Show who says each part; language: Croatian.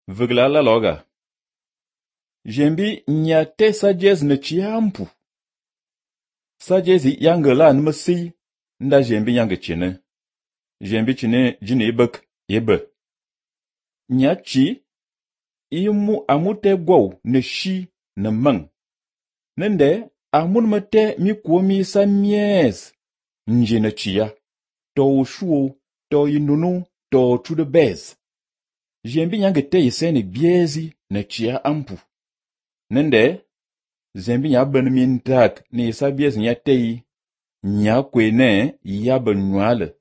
Speaker 1: Vugla la loga. Jembi nya te sagesse ne chiampu. Sagesse yangela nmasi nda jembi yange chine. Jembi chine jine ibek ibe. Nya chi imu amute gwaw ne shi ne mang. Nende amun mate mi kuomi sa mies njene chia. To shuo, to inunu, to trude bez. Jembi yange te iseni biezi ne chia ampu. Nende zembi nya ben min tak ni isa biezi nya tei nya kwene ya ben nwale